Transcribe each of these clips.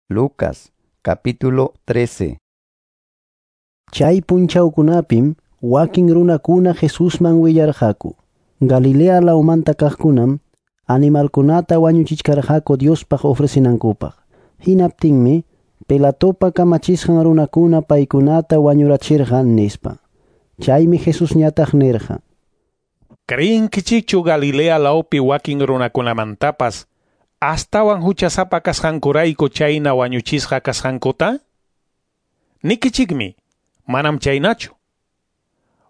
Lucas, capítulo 13. Chay punchawkunapim wakin runakuna Jesusman willarqaku. Galilea lawmanta kaqkunam animalkunata wañuchichkarqaku Diospaq ofrecinankupaq. Hinaptinmi Pilatopa kamachisqan runakuna paykunata wañurachirqa nispa. Chaymi Jesusñataq nirqa: Creenkichikchu Galilea lawpi wakin runakunamantapas astawan huchasapa kasqankurayku chayna wañuchisqa kasqankuta? Nikichikmi, manam chaynachu.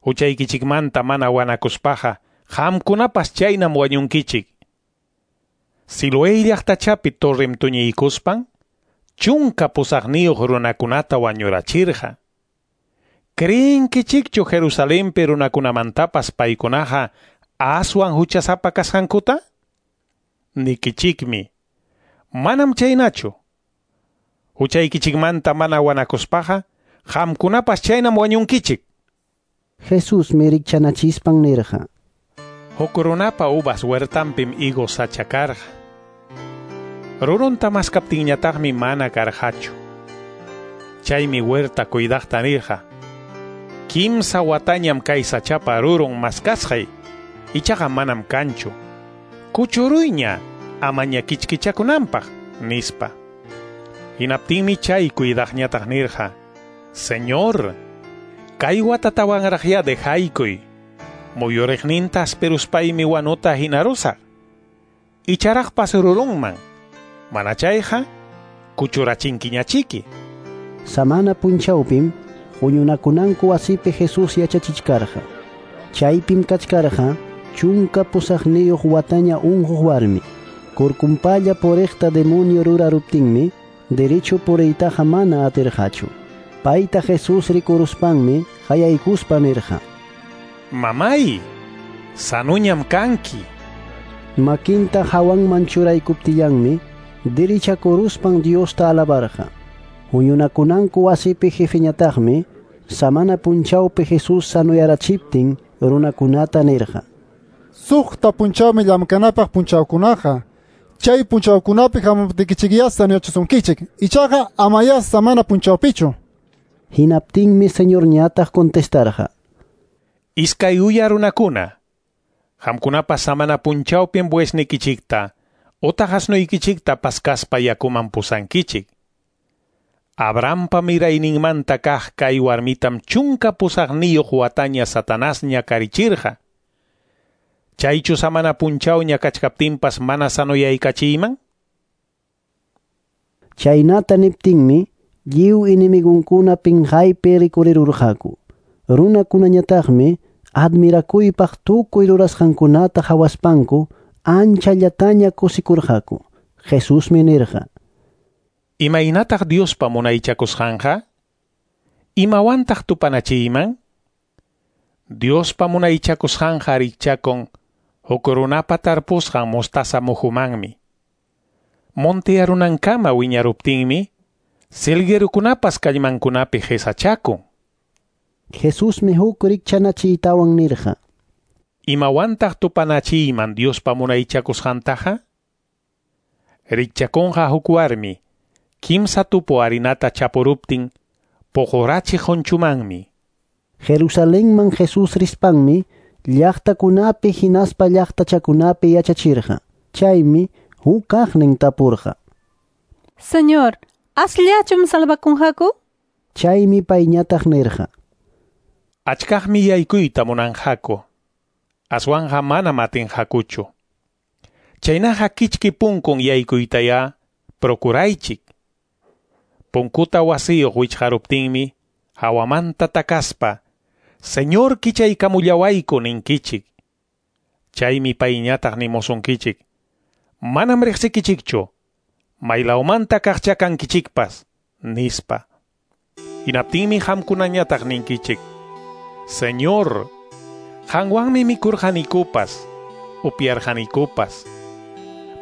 Huchaykichikmanta mana wanakuspaqa qamkunapas chaynam wañunkichik. Siloé llaqtachapi torrem tuñiykuspan 18 runakunata wañurachirqa. Creenkichikchu Jerusalenpi runakunamantapas paykunaqa aswan huchasapa kasqankuta? Nikichikmi, manam chaynachu. Huchaykichikmanta mana wanakuspaqa qamkunapas chaynam wañunkichik. Jesusmi rikchanachispan nirqa: Huk runapa uvas huertanpim higos sacha karqa. Rurunta maskaptinñataqmi mana karqachu. Chaymi huerta cuidaqta nirqa: 3 watañam kay sachapa rurun maskasqay, ichaqa manam kanchu. Kuchuruyña amaña kichkichakunanpaq, nispa. Hinaptinmi chay cuidaqñataq nirqa: Señor, kay watatawanraqya dejaykuy. Muyuriqninta asperuspaymi wanuta hinarusaq. Icharaqpas rurunman. Mana chayqa kuchurachinkiñachiki. Samana punchawpim huñunakunanku wasipi Jesús yachachichkarqa. Chaypim kachkarqa 18 wataña unquq warmi. Kurkunpalla puriqta demonio ruraruptinmi derecho puriytaqa mana atirqachu. Payta Jesús rikuruspanmi qayaykuspa nirqa: Mamay, sanuñam kanki. Makinta hawanman churaykuptillanmi dirichakuruspan Diosta alabarqa. Huñunakunanku wasipi jefeñataqmi samana punchawpi Jesús sanuyarachiptin runakunata nirqa: 6 punchawmi llamkanapaq punchawkunaqa. Chay punchawkunapi hamuptikichikyá sanuyachisunkichik. Ichaqa amayá samana punchawpichu. Hinaptinmi Señorñataq contestarqa: Iskay uya runakuna, qamkunapas samana punchawpim buesnikichikta utaq asnuykichikta paskaspa yakuman pusankichik. Abrahampa mirayninmanta kaq kay warmitam 18 wataña Satanasña karichirqa. Chaychu samana punchawña kachkaptinpas mana sanuyaykachiyman? Chaynata niptinmi lliw enemigunkuna pinqaypi rikurirurqaku. Runakunañataqmi admirakuypaq tukuy rurasqankunata hawaspanku anchallataña kusikurqaku. Jesusmi nirqa: Imaynataq Diospa munaychakusqanqa? Imawantaq tupanachiyman? Diospa munaychakusqanqa rikchakun huk runapa tarpusqan mostaza muhumanmi. Montearunankama wiñaruptinmi silguerukunapas kallmankunapi qisachakun. Jesusmi huk rikchanachiytawan nirqa: Imawantaq tupanachiyman Diospa munaychakusqantaqa? Rikchakunqa huk warmi 3 tupu harinata chapuruptin puqurachiq qunchumanmi. Jerusalenman Jesús rispanmi llaqtakunapi hinaspa llaqtachakunapi yachachirqa. Chaymi huk kaqnin tapurqa: Señor, asllachum salvakunqaku? Chaymi payñataq nirqa: Achkaqmi yaykuyta munanqaku, aswanqa manam atinqakuchu. Chaynaqa kichki punkun yaykuytayá procuraychik. Punkuta wasiyuq wichqaruptinmi hawamanta takaspa, Señor kichaykamullawayku ninkichik. Chaymi payñataq nimusunkichik: Manam riqsikichikchu, maylawmanta kaqcha kankichikpas, nispa. Hinaptinmi qamkunañataq ninkichik: Señor, qanwanmi mikurqanikupas, upyarqanikupas,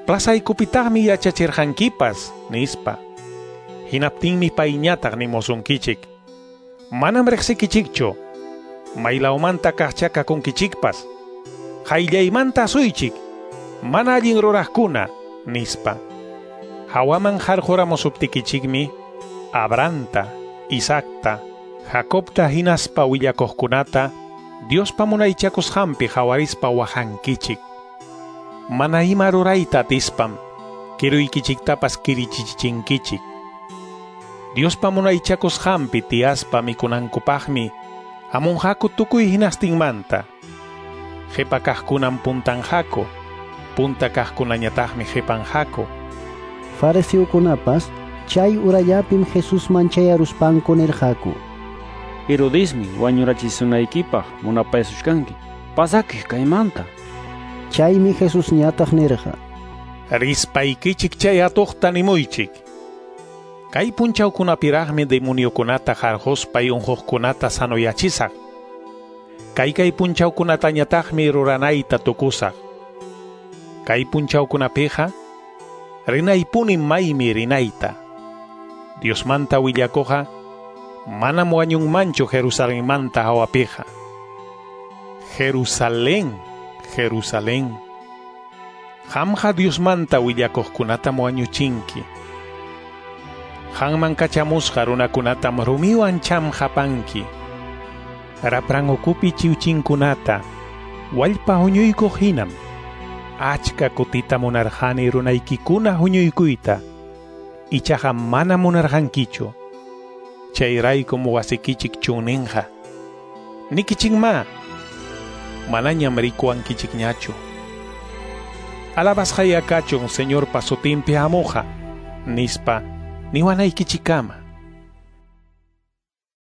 plazaykupitaqmi yachachirqankipas, nispa. Hinaptinmi payñataq nimusunkichik: Manam riqsikichikchu, maylawmanta kaqcha kakunkichikpas, qayllaymanta asuychik, mana allin ruraqkuna, nispa. Hawaman qarquramusuptikichikmi Abrahamta, Isaacta, Jacobta hinaspa willakuqkunata Diospa munaychakusqanpi hawarispa waqankichik. Mana ima rurayta atispam kiruykichiktapas kirichichinkichik. Diospa munaychakusqanpi tiyaspa mikunankupaqmi hamunqaku tukuy hinastinmanta. Qhipa kaqkunam puntanqaku, punta kaqkunañataqmi qipanqaku. Fariseokunapas chay urallapim Jesusman chayaruspanku nirqaku: Herodesmi wañurachisunaykipaq munapayasuchkanki. Pasakuy kaymanta. Chaymi Jesusñataq nirqa: Rispaykichik chay atuqta nimuychik. Kay punchawkunapiraqmi demoniokunata qarquspay unquqkunata sanoyachisaq. Kay punchawkunatañataqmi ruranayta tukusaq. Kay punchawkunapiqa rinaypuni maymi rinayta. Diosmanta willakuqa manam wañunmanchu Jerusalenmanta hawapiqa. Jerusalén, Jerusalén, qamqa Diosmanta willakuqkunatam wañuchinki. Qanman kachamusqa runakunatam rumiwan chamqapanki. Rapran ukupi chiwchinkunata wallpa huñuykuq hinam. Achka kutita munarqani runaykikuna huñuykuyta, ichaqa mana munarqankichu. Chayraykum wasikichik chunninqa. Nikichikma, manañam rikuwankichikñachu. Alabasqaya kachun Señorpa sutinpi hamuqa, nispa niwanaykichikama.